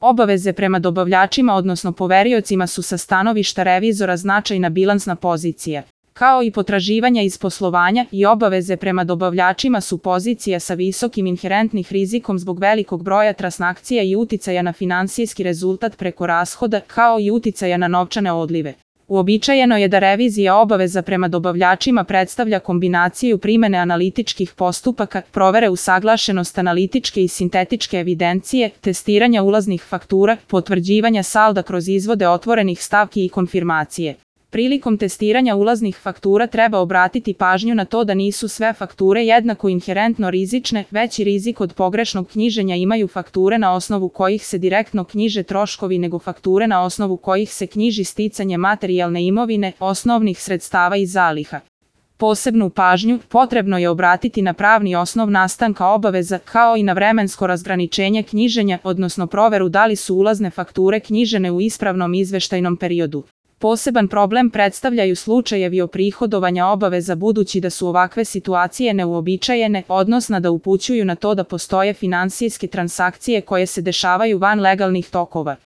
Obaveze prema dobavljačima odnosno poveriocima su sa stanovišta revizora značajna bilansna pozicija. Kao i potraživanja iz poslovanja i obaveze prema dobavljačima su pozicija sa visokim inherentnih rizikom zbog velikog broja transakcija i uticaja na finansijski rezultat preko rashoda, kao i uticaja na novčane odlive. Uobičajeno je da revizija obaveza prema dobavljačima predstavlja kombinaciju primene analitičkih postupaka, provere usaglašenost analitičke i sintetičke evidencije, testiranja ulaznih faktura, potvrđivanja salda kroz izvode otvorenih stavki i konfirmacije. Prilikom testiranja ulaznih faktura treba obratiti pažnju na to da nisu sve fakture jednako inherentno rizične, veći rizik od pogrešnog knjiženja imaju fakture na osnovu kojih se direktno knjiže troškovi nego fakture na osnovu kojih se knjiži sticanje materijalne imovine, osnovnih sredstava i zaliha. Posebnu pažnju potrebno je obratiti na pravni osnov nastanka obaveza, kao i na vremensko razgraničenje knjiženja, odnosno proveru da li su ulazne fakture knjižene u ispravnom izveštajnom periodu. Poseban problem predstavljaju slučajevi oprihodovanja obaveza budući da su ovakve situacije neuobičajene, odnosno da upućuju na to da postoje finansijske transakcije koje se dešavaju van legalnih tokova.